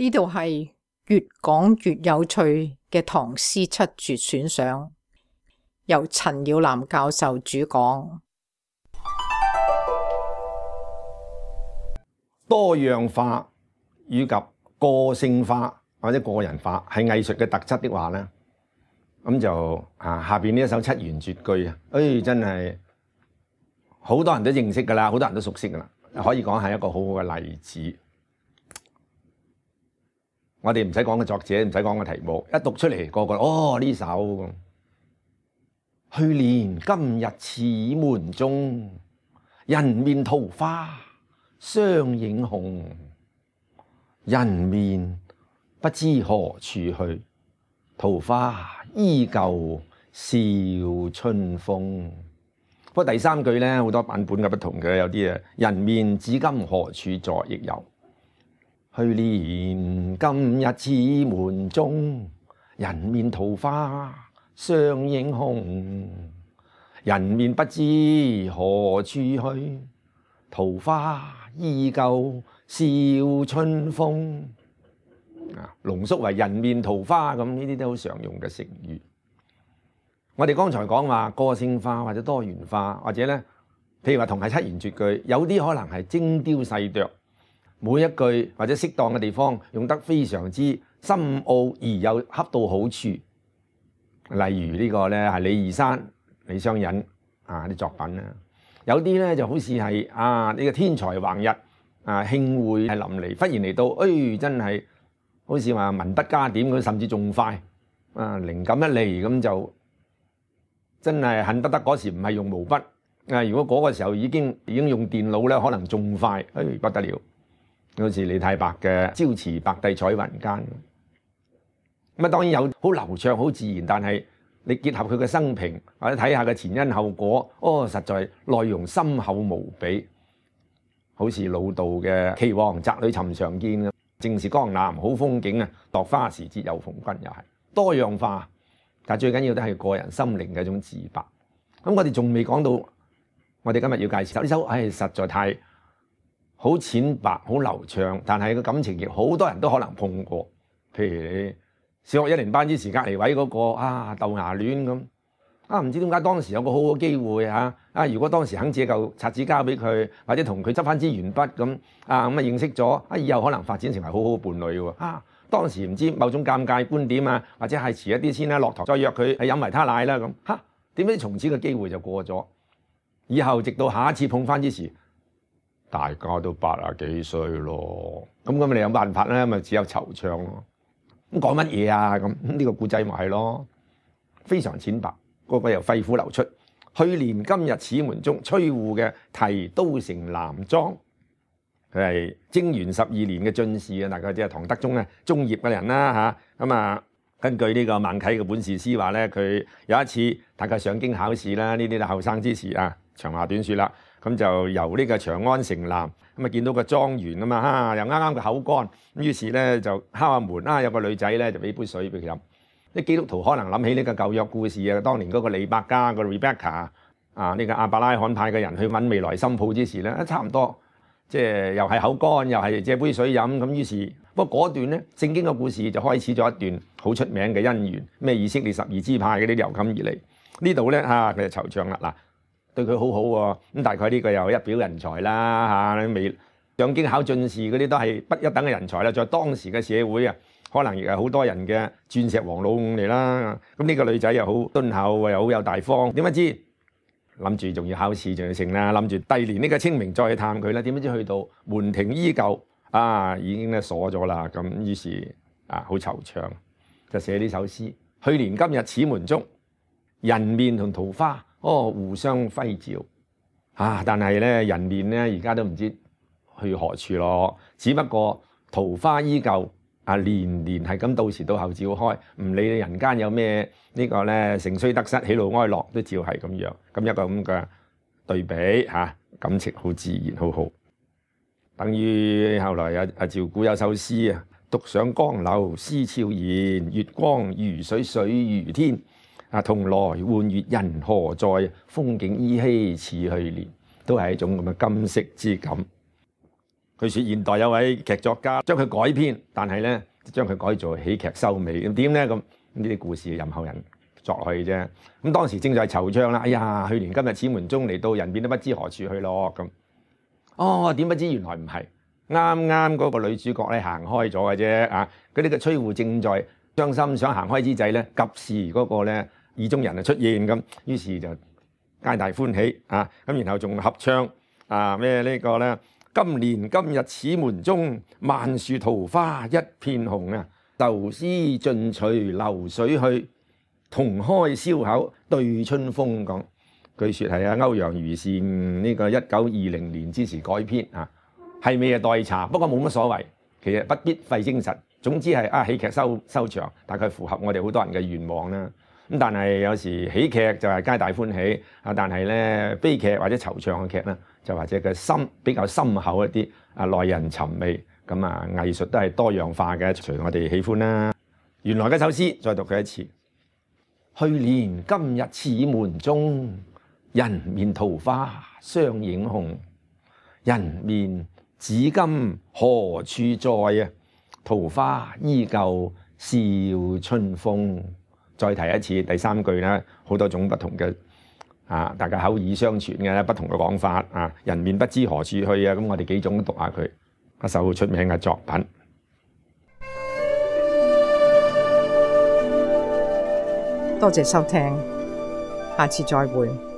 呢度係越講越有趣嘅唐詩七絕選賞，由陳耀南教授主講。多樣化以及個性化或者個人化係藝術嘅特質的話咧，咁就下邊呢一首七言絕句啊，真係好多人都認識噶啦，好多人都熟悉噶啦，可以講係一個好好嘅例子。我哋唔使講個作者，唔使講個題目，一讀出嚟個個呢首。去年今日此門中，人面桃花相映紅。人面不知何處去，桃花依舊笑春風。不過第三句咧，好多版本嘅不同嘅，有啲人面至今何處在亦有。去年今日此門中，人面桃花相映紅。人面不知何處去，桃花依舊笑春風。濃縮為人面桃花咁，呢啲都好常用嘅成語。我哋剛才講話個性化或者多元化，或者咧，譬如話同係七言絕句，有啲可能係精雕細琢。每一句或者適當嘅地方用得非常之深奧而又恰到好處，例如呢個咧係李二山、李商隱啲作品啦。有啲咧就好似係呢個天才橫溢興會係淋漓，忽然嚟到，真係好似話文筆加點咁，甚至仲快靈感一嚟咁就真係恨不得嗰時唔係用毛筆如果嗰個時候已經用電腦咧，可能仲快，不得了。好似李太白嘅朝辭白帝彩雲間，咁當然有好流暢好自然，但係你結合佢嘅生平或者睇下佢前因後果，實在內容深厚無比。好似老杜嘅岐王宅裏尋常見，正是江南好風景落花時節又逢君，又係多樣化，但最緊要都係個人心靈嘅一種自白。咁我哋仲未講到，我哋今日要介紹呢首，實在太好淺白，好流暢，但係個感情亦好多人都可能碰過。譬如你小學一年班之時隔離位嗰個豆芽戀咁，唔知點解當時有個好好機會如果當時肯借嚿擦紙交俾佢，或者同佢執翻支鉛筆咁認識咗，以後可能發展成為好好伴侶喎。當時唔知某種尷尬觀點或者係遲一啲先啦，落堂再約佢飲維他奶啦咁，點知從此個機會就過咗，以後直到下一次碰翻之時，大家都80幾歲咯，咁你有辦法咧？咪只有惆悵咯。咁講乜嘢咁呢個故仔咪係咯，非常淺白，個個又肺腑流出。去年今日此門中，崔護嘅題都城南莊，佢係貞元12年嘅進士大概即係唐德宗中葉嘅人啦咁根據呢個孟啟嘅本事詩話咧，佢有一次大概上京考試啦，呢啲後生之時長話短說啦。咁就由呢個長安城南見到個莊園又啱啱個口乾，於是咧就敲下門有個女仔咧就俾杯水俾佢飲。啲基督徒可能諗起呢個舊約故事當年嗰個利百加個 Rebecca 呢個亞伯拉罕派嘅人去揾未來新抱之時咧，差唔多即係又係口乾又係借杯水飲咁。於是不過嗰段咧聖經嘅故事就開始咗一段好出名嘅姻緣，咩以色列12支派嗰啲由襟而嚟。呢度咧佢就惆悵啦嗱。對佢好好喎，咁大概呢個又一表人才啦未上京考進士嗰啲都係不一等嘅人才啦，在當時嘅社會可能亦係好多人嘅鑽石王老五嚟啦。咁呢個女仔又好敦厚，又好有大方，點不知諗住仲要考試，仲要成啦，諗住第二年呢個清明再去探佢啦。點不知去到門庭依舊已經咧鎖咗啦。咁於是好惆悵，就寫呢首詩。去年今日此門中，人面同桃花互相輝照但係咧人面咧而家都唔知去何處咯。只不過桃花依舊年年係咁到時到後照開，唔理人間有咩呢個咧盛衰得失喜怒哀樂，都照係咁樣。咁一個咁嘅對比感情好自然，好好。等於後來趙古有首詩獨上江樓思悄然，月光如水水如天。同來換月人何在？風景依稀似去年，都係一種咁嘅今昔之感。據說現代有位劇作家將佢改編，但係咧將佢改做喜劇收尾。咁點咧？咁呢啲故事任後人作落去啫。咁當時正在惆悵啦，哎呀，去年今日此門中，嚟到人便都不知何處去咯。咁哦，點不知原來唔係，啱啱嗰個女主角咧行開咗嘅啫啊！嗰啲嘅崔護正在傷心想行開之際咧，及時嗰個咧意中人就出現咁，於是就皆大歡喜啊！咁然後仲合唱啊咩呢個咧？今年今日此門中，萬樹桃花一片紅啊！愁思盡隨流水去，同開燒口對春風。講據說係啊歐陽予倩呢個1920年之時改編啊，係未啊待查，不過冇乜所謂，其實不必費精神。總之係喜劇收場，大概符合我哋好多人嘅願望啦。咁但係有時喜劇就係皆大歡喜啊，但係咧悲劇或者惆悵嘅劇咧，就或者個心比較深厚一啲啊，耐人尋味。咁啊，藝術都係多樣化嘅，隨我哋喜歡啦。原來嗰首詩再讀佢一次：去年今日此門中，人面桃花相映紅。人面至今何處在啊？桃花依舊笑春風。再提一次第三句啦，好多種不同嘅大家口耳相傳嘅不同嘅講法啊。人面不知何處去啊，咁我哋幾種都讀下佢，一首出名嘅作品。多謝收聽，下次再會。